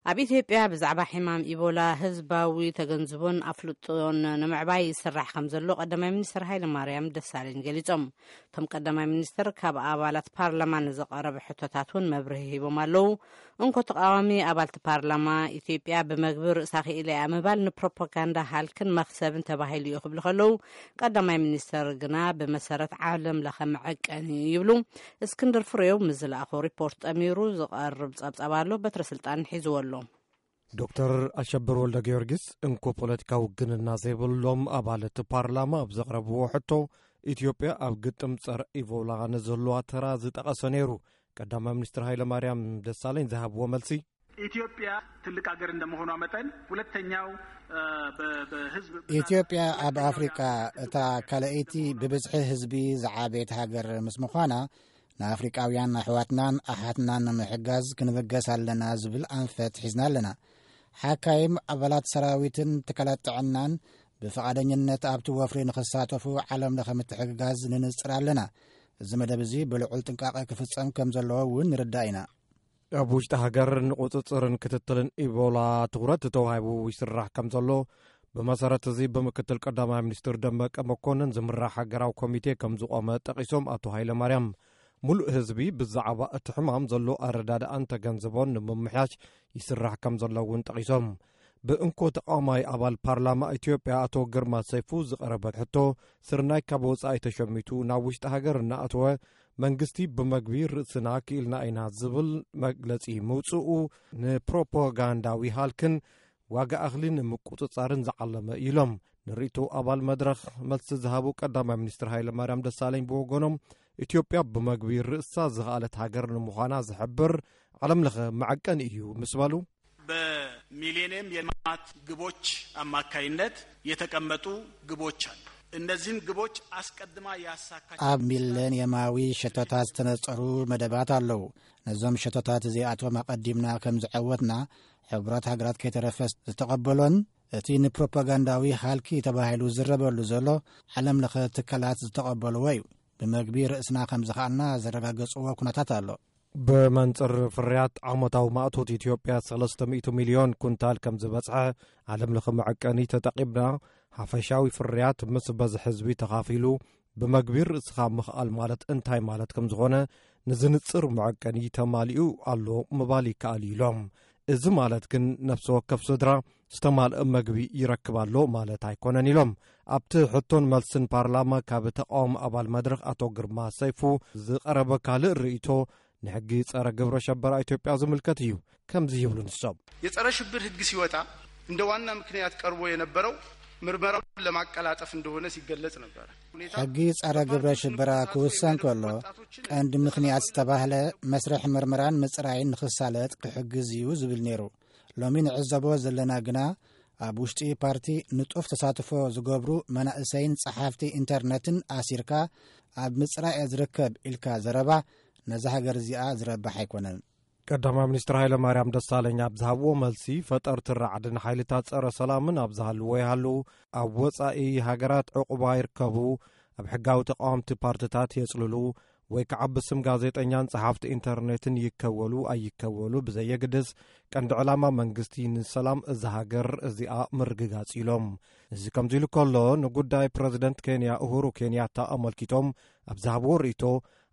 ኣብ ኢትዮጵያ ብዛዕባ ሕማም ኢቦላ ህዝባዊ ተገንዝቦን ኣፍልጦን ንምዕባይ ይስራሕ ከም ዘሎ ቀዳማይ ሚኒስትር ሃይለ ማርያም ደሳለኝ ገሊጾም። እቶም ቀዳማይ ሚኒስትር ካብ ኣባላት ፓርላማ ንዝቐረበ ሕቶታት እውን መብርሂ ሂቦም ኣለዉ። እንኮ ተቃዋሚ ኣባልቲ ፓርላማ፣ ኢትዮጵያ ብመግቢ ርእሳ ክኢላ እያ ምባል ንፕሮፓጋንዳ ሃልክን መኽሰብን ተባሂሉ እዩ ክብሉ ከለዉ፣ ቀዳማይ ሚኒስትር ግና ብመሰረት ዓለም ለኸ መዐቀኒ እዩ ይብሉ። እስክንድር ፍሬው ምስ ዝለኣኾ ሪፖርት ጠሚሩ ዝቐርብ ጸብጻብ ኣሎ። በትረ ስልጣን ሒዝዎ ኣሎ። ዶክተር ኣሸብር ወልደ ጊዮርጊስ እንኮ ፖለቲካዊ ውግንና ዘይብሎም ኣባላት ፓርላማ ኣብ ዘቕረብዎ ሕቶ፣ ኢትዮጵያ ኣብ ግጥም ጸረ ኢቦላ ንዘለዋ ተራ ዝጠቐሰ ነይሩ። ቀዳማይ ሚኒስትር ሃይለ ማርያም ደሳለኝ ዝሃብዎ መልሲ፣ ኢትዮጵያ ትልቅ ሀገር እንደመሆኗ መጠን ሁለተኛው በህዝብ ኢትዮጵያ ኣብ ኣፍሪቃ እታ ካልኣይቲ ብብዝሒ ህዝቢ ዝዓበየት ሃገር ምስ ምዃና፣ ንኣፍሪቃውያን ኣሕዋትናን ኣሓትናን ንምሕጋዝ ክንብገስ ኣለና ዝብል ኣንፈት ሒዝና ኣለና። ሓካይም ኣባላት ሰራዊትን ትካላት ጥዕናን ብፍቓደኝነት ኣብቲ ወፍሪ ንኽሳተፉ ዓለም ለኸ ምትሕግጋዝ ንንጽር ኣለና። እዚ መደብ እዚ ብልዑል ጥንቃቐ ክፍጸም ከም ዘለዎ እውን ንርዳእ ኢና። ኣብ ውሽጢ ሃገር ንቁጽጽርን ክትትልን ኢቦላ ትኹረት ተዋሂቡ ይስራሕ ከም ዘሎ፣ ብመሰረት እዚ ብምክትል ቀዳማይ ሚኒስትር ደመቀ መኮንን ዝምራሕ ሃገራዊ ኮሚቴ ከም ዝቆመ ጠቒሶም ኣቶ ሃይለ ማርያም፣ ሙሉእ ህዝቢ ብዛዕባ እቲ ሕማም ዘሎ ኣረዳድኣን ተገንዝቦን ንምምሕያሽ ይስራሕ ከም ዘሎ እውን ጠቒሶም። ብእንኮ ተቃዋማይ ኣባል ፓርላማ ኢትዮጵያ ኣቶ ግርማ ሰይፉ ዝቐረበ ሕቶ፣ ስርናይ ካብ ወጻኢ ተሸሚቱ ናብ ውሽጢ ሃገር እናኣተወ መንግስቲ ብመግቢ ርእስና ክኢልና ኢና ዝብል መግለጺ ምውጽኡ፣ ንፕሮፓጋንዳዊ ሃልክን ዋጋ እኽሊ ንምቁጽጻርን ዝዓለመ ኢሎም። ንርእይቶ ኣባል መድረኽ መልሲ ዝሃቡ ቀዳማይ ሚኒስትር ሃይለ ማርያም ደሳለኝ ብወገኖም፣ ኢትዮጵያ ብመግቢ ርእሳ ዝኸኣለት ሃገር ንምዃና ዝሕብር ዓለም ለኸ መዐቀኒ እዩ ምስ በሉ፣ በሚሌኒየም የልማት ግቦች አማካይነት የተቀመጡ ግቦች አሉ። እነዚህን ግቦች አስቀድማ ያሳካች ኣብ ሚሌኒየማዊ ሸቶታት ዝተነጸሩ መደባት ኣለዉ። ነዞም ሸቶታት እዚኣቶም ኣቐዲምና ከም ዝዐወትና፣ ሕቡራት ሃገራት ከይተረፈ ዝተቐበሎን እቲ ንፕሮፓጋንዳዊ ሃልኪ ተባሂሉ ዝረበሉ ዘሎ ዓለም ለኸ ትካላት ዝተቐበልዎ እዩ። ብመግቢ ርእስና ከም ዝኸኣልና ዘረጋገጽዎ ኩነታት ኣሎ። ብመንጽር ፍርያት ዓመታዊ ማእቶት ኢትዮጵያ ሰለስተ ሚእቲ ሚልዮን ኩንታል ከም ዝበጽሐ ዓለም ለኸ መዐቀኒ ተጠቒምና፣ ሓፈሻዊ ፍርያት ምስ በዝሒ ህዝቢ ተኻፊሉ ብመግቢ ርእስኻ ምኽኣል ማለት እንታይ ማለት ከም ዝኾነ ንዝንጽር መዐቀኒ ተማሊኡ ኣሎ ምባል ይከኣል እዩ ኢሎም። እዚ ማለት ግን ነፍሲ ወከፍ ስድራ ዝተማልአ መግቢ ይረክብ ኣሎ ማለት ኣይኮነን ኢሎም። ኣብቲ ሕቶን መልስን ፓርላማ ካብ ተቃዋሚ ኣባል መድረኽ ኣቶ ግርማ ሰይፉ ዝቐረበ ካልእ ርእይቶ ንሕጊ ጸረ ግብረ ሸበራ ኢትዮጵያ ዝምልከት እዩ። ከምዚ ይብሉ ንሶም። የጸረ ሽብር ህግ ሲወጣ እንደ ዋና ምክንያት ቀርቦ የነበረው ምርመራውን ለማቀላጠፍ እንደሆነ ሲገለጽ ነበር። ሕጊ ጸረ ግብረ ሽበራ ክውሰን ከሎ ቀንዲ ምኽንያት ዝተባህለ መስርሕ ምርመራን ምጽራይን ንኽሳለጥ ክሕግዝ እዩ ዝብል ነይሩ። ሎሚ ንዕዘቦ ዘለና ግና ኣብ ውሽጢ ፓርቲ ንጡፍ ተሳትፎ ዝገብሩ መናእሰይን ጸሓፍቲ ኢንተርነትን ኣሲርካ ኣብ ምጽራይ እየ ዝርከብ ኢልካ ዘረባ ነዛ ሃገር እዚኣ ዝረብሕ ኣይኮነን። ቀዳማይ ሚኒስትር ሃይለ ማርያም ደሳለኝ ኣብ ዝሃብዎ መልሲ፣ ፈጠርቲ ራዕድን ሓይልታት ጸረ ሰላምን ኣብ ዝሃልዎ ይሃልዉ፣ ኣብ ወጻኢ ሃገራት ዕቑባ ይርከቡ፣ ኣብ ሕጋዊ ተቃወምቲ ፓርትታት የጽልሉ ወይ ከዓ ብስም ጋዜጠኛን ጸሓፍቲ ኢንተርኔትን ይከወሉ ኣይከወሉ ብዘየግድስ፣ ቀንዲ ዕላማ መንግስቲ ንሰላም እዛ ሃገር እዚኣ ምርግጋጽ ኢሎም። እዚ ከምዚ ኢሉ ከሎ፣ ንጉዳይ ፕረዚደንት ኬንያ ኡሁሩ ኬንያታ ኣመልኪቶም ኣብ ዝሃብዎ ርእይቶ፣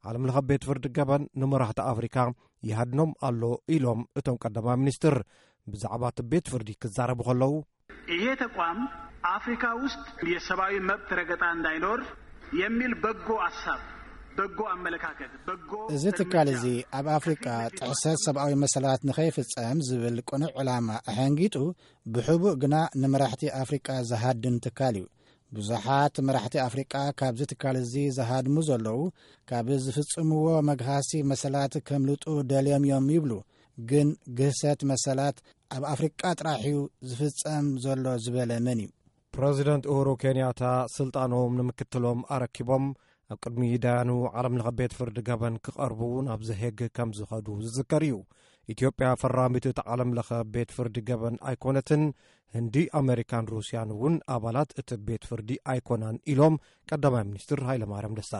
ዓለም ለኸ ቤት ፍርዲ ገበን ንመራሕቲ ኣፍሪካ ይሃድኖም ኣሎ ኢሎም እቶም ቀዳማይ ሚኒስትር። ብዛዕባ እቲ ቤት ፍርዲ ክዛረቡ ከለዉ፣ ይሄ ተቋም አፍሪካ ውስጥ የሰብአዊ መብት ረገጣ እንዳይኖር የሚል በጎ አሳብ፣ በጎ አመለካከት፣ በጎ እዚ ትካል እዚ ኣብ ኣፍሪቃ ጥሕሰት ሰብኣዊ መሰላት ንኸይፍጸም ዝብል ቅኑዕ ዕላማ ኣሐንጊጡ፣ ብሕቡእ ግና ንመራሕቲ ኣፍሪቃ ዝሃድን ትካል እዩ። ብዙሓት መራሕቲ ኣፍሪቃ ካብዚ ትካል እዚ ዝሃድሙ ዘለዉ፣ ካብ ዝፍጽምዎ መግሃሲ መሰላት ከምልጡ ደልዮም እዮም ይብሉ። ግን ግህሰት መሰላት ኣብ ኣፍሪቃ ጥራሕ እዩ ዝፍጸም ዘሎ ዝበለ መን እዩ? ፕረዚደንት ኡሁሩ ኬንያታ ስልጣኖም ንምክትሎም ኣረኪቦም ኣብ ቅድሚ ዳያኑ ዓለም ለኸ ቤት ፍርዲ ገበን ክቐርቡ ናብ ዘሄግ ከም ዝኸዱ ዝዝከር እዩ። ኢትዮጵያ ፈራሚት እቲ ዓለም ለኸ ቤት ፍርዲ ገበን ኣይኮነትን። ህንዲ፣ ኣሜሪካን ሩስያን እውን ኣባላት እቲ ቤት ፍርዲ ኣይኮናን ኢሎም ቀዳማይ ሚኒስትር ሃይለማርያም ደሳለኝ።